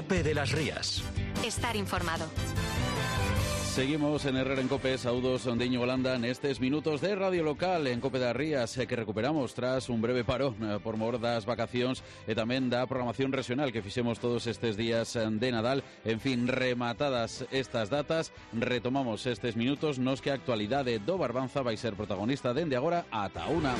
COPE de las Rías. Estar informado. Seguimos en Herrera en COPE, saúdos de Íñigo Landa nestes minutos de radio local en COPE das Rías que recuperamos tras un breve parón por mor das vacacións e tamén da programación regional que fixemos todos estes días de Nadal. En fin, rematadas estas datas, retomamos estes minutos nos que a actualidade do Barbanza vai ser protagonista dende agora ata unha.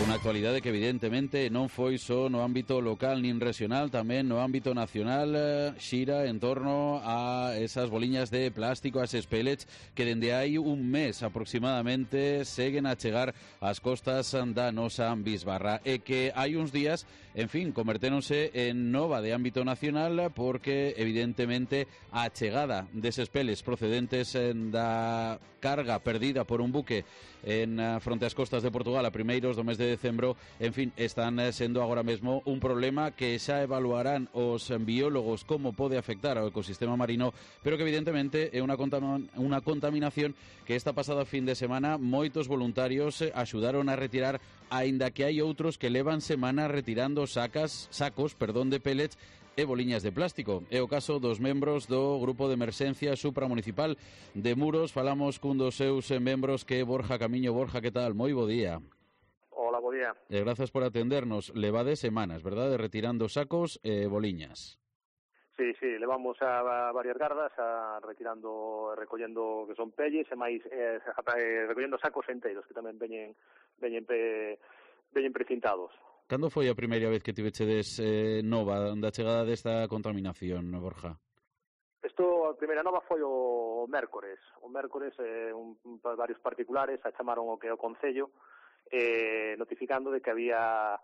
Unha actualidade que evidentemente non foi só no ámbito local nin regional, tamén no ámbito nacional, xira en torno a esas boliñas de plástico, as pellets, que dende hai un mes aproximadamente seguen a chegar ás costas da nosa bisbarra e que hai uns días, en fin, convertéronse en nova de ámbito nacional porque evidentemente a chegada deses pellets procedentes da carga perdida por un buque en fronte ás costas de Portugal a primeiros do mes de decembro, en fin, están sendo agora mesmo un problema que xa evaluarán os biólogos como pode afectar ao ecosistema marino, pero que evidentemente é unha contaminación que esta pasada fin de semana moitos voluntarios axudaron a retirar, aínda que hai outros que levan semanas retirando sacos de pellets e boliñas de plástico. É o caso dos membros do Grupo de Emerxencia Supramunicipal de Muros. Falamos cun dos seus membros que é Borja Camiño. Borja, que tal? Moi bo día. Hola, bo día. Grazas por atendernos. Levades semanas, verdade? Retirando sacos e boliñas. Sí, levamos a varias gardas recollendo que son pelles e máis recollendo sacos enteiros que tamén veñen precintados. Cando foi a primeira vez que tivechedes nova da chegada desta contaminación, Borja? A primeira nova foi o mércores. O mércores, varios particulares a chamaron o que é o Concello notificando de que había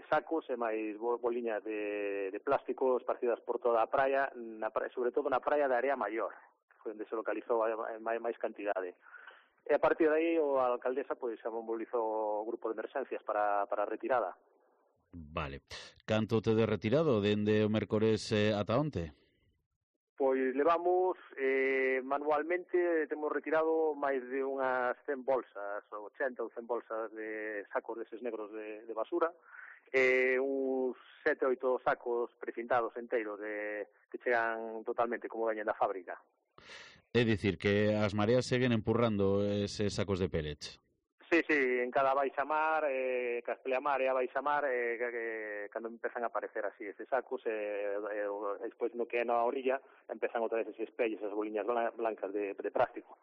sacos e máis boliñas de plástico esparcidas por toda a praia, sobre todo na praia da Area Maior, que foi onde se localizou máis cantidade. E a partir de aí a alcaldesa xa mobilizou o grupo de emerxencias para a retirada. Vale. Canto tedes retirado dende o mércores ata onte? Pois levamos manualmente, temos retirado máis de unhas 100 bolsas, 80 ou 100 bolsas de sacos deses negros de basura, uns 7 ou 8 sacos precintados enteiros que chegan totalmente como veñen da fábrica. É dicir, que as mareas seguen empurrando eses sacos de pellets. Sí, en cada baixamar, Castelamar e a baixamar, cando empezan a aparecer así estes sacos, despois no que é na orilla, empezan outra vez eses pelles, esas boliñas blancas de plástico.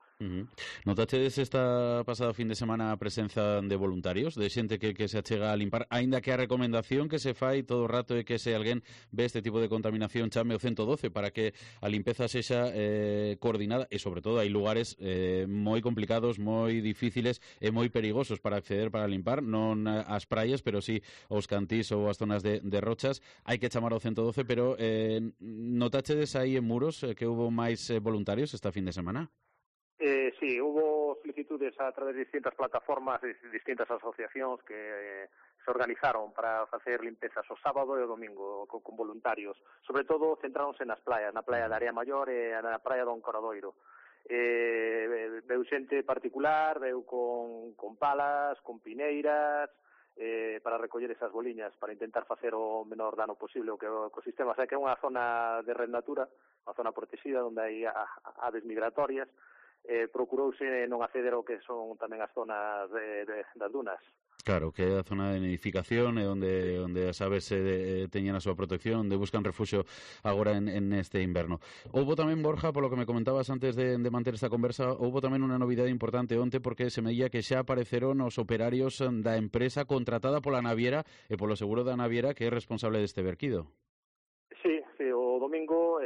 Notachedes esta pasada fin de semana a presenza de voluntarios, de xente que se achega a limpar, aínda que a recomendación que se fai todo o rato é que se alguén ve este tipo de contaminación chame o 112 para que a limpeza sexa coordinada e, sobre todo, hai lugares moi complicados, moi difíciles e moi perigosos para acceder, para limpar, non as praias, pero sí os cantís ou as zonas de rochas. Hai que chamar ao 112, pero notachedes aí en Muros que houve máis voluntarios esta fin de semana? Sí, hubo solicitudes a través de distintas plataformas, de distintas asociacións que se organizaron para facer limpezas o sábado e o domingo con voluntarios. Sobre todo centráronse nas playas, na playa da Area Maior e na playa do Encoradoiro. Veu xente particular, veu con palas, con pineiras, para recoller esas boliñas, para intentar facer o menor dano posible ao ecosistema. O sea, que é unha zona de red natura, unha zona protegida onde hai aves migratorias. Procurouse non acceder ao que son tamén as zonas das dunas. Claro, que é a zona de nidificación e onde as aves teñen a súa protección, onde buscan refugio agora en este inverno. Houbo tamén, Borja, polo que me comentabas antes de manter esta conversa, houbo tamén unha novidade importante onte porque se meía que xa apareceron os operarios da empresa contratada pola naviera e polo seguro da naviera que é responsable deste verquido. Sí, o domingo,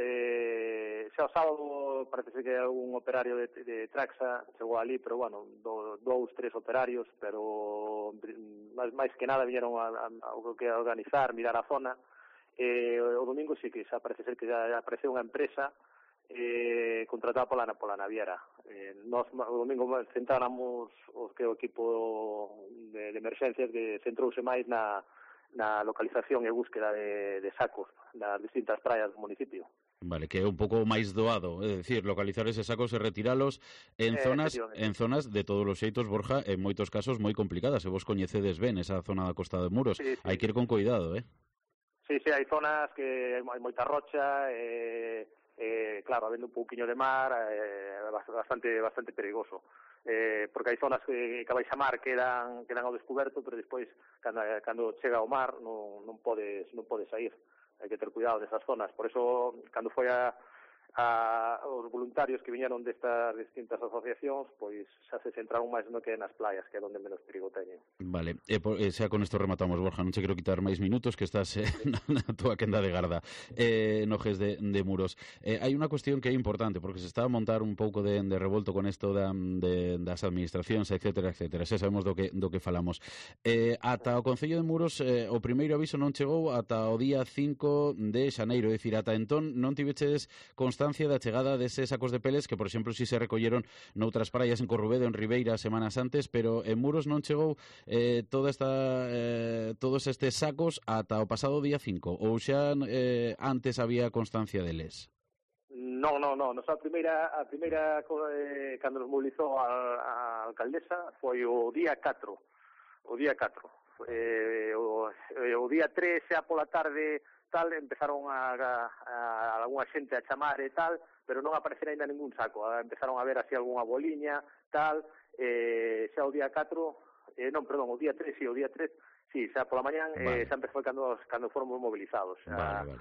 xa o sábado parece que un operario de Traxa chegou ali, pero bueno, 2-3 operarios, pero máis que nada viñeron a organizar, mirar a zona. O domingo sí que xa parece ser que já apareceu unha empresa contratada pola naviera. Nos o domingo centráramos o equipo de emerxencias que centrouse máis na localización e búsqueda de sacos nas distintas praias do municipio. Vale, que é un pouco máis doado, é dicir, localizar eses sacos e retiralos en zonas de todos os xeitos, Borja, en moitos casos moi complicadas, e vos coñecedes ben esa zona da Costa de Muros. Sí. Hai que ir con cuidado, Sí, hai zonas que hai moita rocha, claro, habendo un pouquiño de mar, bastante perigoso. Porque hai zonas que a baixamar quedan ao descoberto, pero despois, cando chega ao mar, non podes sair. Hai que ter cuidado desas zonas. Por eso, cando foi os voluntarios que viñeron destas distintas asociacións, pois xa se centraron máis no que nas playas, que é onde menos perigo teñen. Vale, xa con isto rematamos, Borja, non che quero quitar máis minutos, que estás na túa quenda de garda no GES de Muros. Hai unha cuestión que é importante, porque se está a montar un pouco de revolto con isto das administracións, etcétera. Xa sabemos do que falamos. Ata o Concello de Muros, o primeiro aviso non chegou ata o día 5 de xaneiro, é dicir, ata entón non tiveches constancia da chegada deses sacos de peles que, por exemplo, si se recolleron noutras praias en Corrubedo, en Ribeira, semanas antes, pero en Muros non chegou todos estes sacos ata o pasado día 5, ou xa antes había constancia deles? Non. A primeira cando nos mobilizou a alcaldesa foi o día 4. O día 3 xa pola tarde tal, empezaron a algunha xente a chamar e tal, pero non aparecerá ainda ningún saco. Empezaron a ver así algunha boliña, tal, xa o día 4, o día 3, xa pola mañán, vale. Xa empezou cando fomos mobilizados. Vale.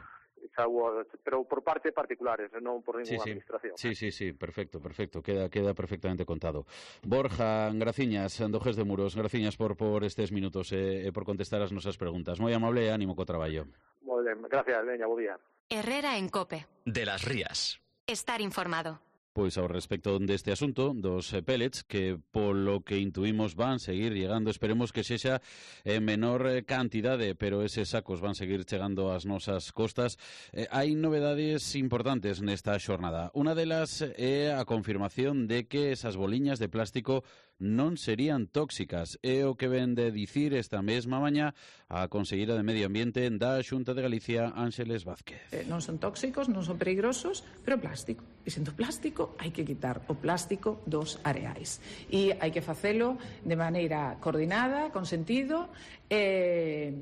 Pero por parte particulares, non por ninguna administración. Sí, perfecto, queda perfectamente contado. Borja Graciñas, do GES de Muros, graciñas por estes minutos e por contestar as nosas preguntas. Moi amable e ánimo co traballo. Moi ben, gracias, veña, bo día. Herrera en COPE. De las Rías. Estar informado. Pois ao respecto deste asunto dos pellets, que polo que intuimos van seguir llegando, esperemos que sexa en menor cantidade, pero eses sacos van seguir chegando ás nosas costas. Hai novedades importantes nesta xornada. Unha delas é a confirmación de que esas boliñas de plástico non serían tóxicas. É o que ven de dicir esta mesma mañá a conselleira de Medio Ambiente da Xunta de Galicia, Ángeles Vázquez. Non son tóxicos, non son peligrosos, pero plástico. E sendo plástico, hai que quitar o plástico dos areais. E hai que facelo de maneira coordinada, con sentido, e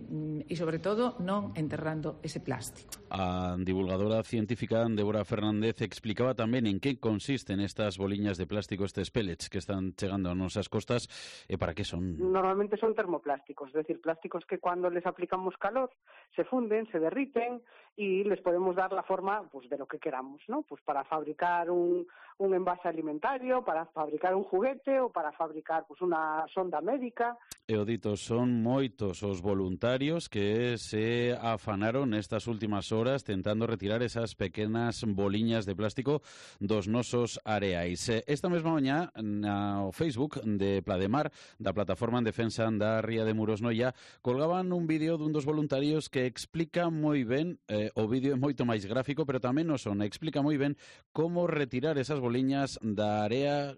sobre todo non enterrando ese plástico. A divulgadora científica Débora Fernández explicaba tamén en que consisten estas boliñas de plástico, estes pellets que están chegando a nosas costas e para que son. Normalmente son termoplásticos, es decir, plásticos que cuando les aplicamos calor se funden, se derriten y les podemos dar la forma pues de lo que queramos, ¿no? Pues para fabricar un envase alimentario, para fabricar un juguete o para fabricar pues una sonda médica. E o dito, son moitos os voluntarios que se afanaron nestas últimas horas tentando retirar esas pequenas boliñas de plástico dos nosos areais. Esta mesma mañá, no Facebook de Plademar, da Plataforma en Defensa da Ría de Muros Noia, colgaban un vídeo dun dos voluntarios que explica moi ben, o vídeo é moito máis gráfico, pero tamén o son, explica moi ben como retirar esas boliñas da area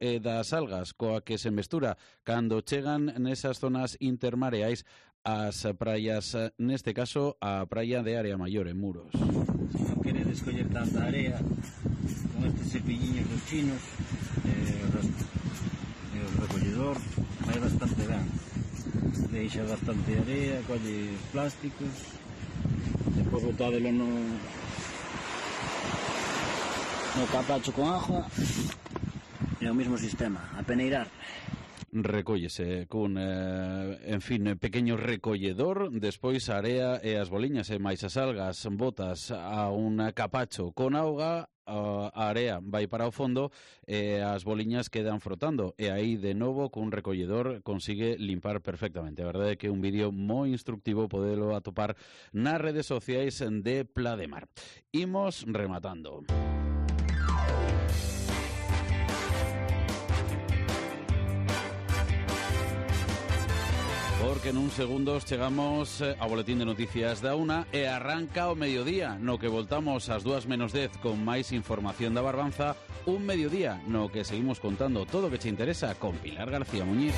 e das algas coa que se mestura cando chegan nesas zonas intermareais ás praias, neste caso a praia de Area Maior en Muros. Se non queredes coller tanta area, con estes cepilliños dos chinos e o recolledor vai bastante ben, deixa bastante area, colle plásticos, depois botádelo no capacho con agua. É o mesmo sistema, a peneirar. Recóllese cun, pequeño recolledor, despois a area e as boliñas e máis as algas botas a un capacho con auga, a area vai para o fondo e as boliñas quedan frotando e aí de novo cun recolledor consigue limpar perfectamente. A verdade é que é un vídeo moi instructivo, podelo atopar nas redes sociais de Plademar. Imos rematando. Porque en uns segundos chegamos ao boletín de noticias da 1 e arranca o mediodía, no que voltamos ás 2:10 con máis información da Barbanza, un mediodía no que seguimos contando todo o que che interesa con Pilar García Muñiz.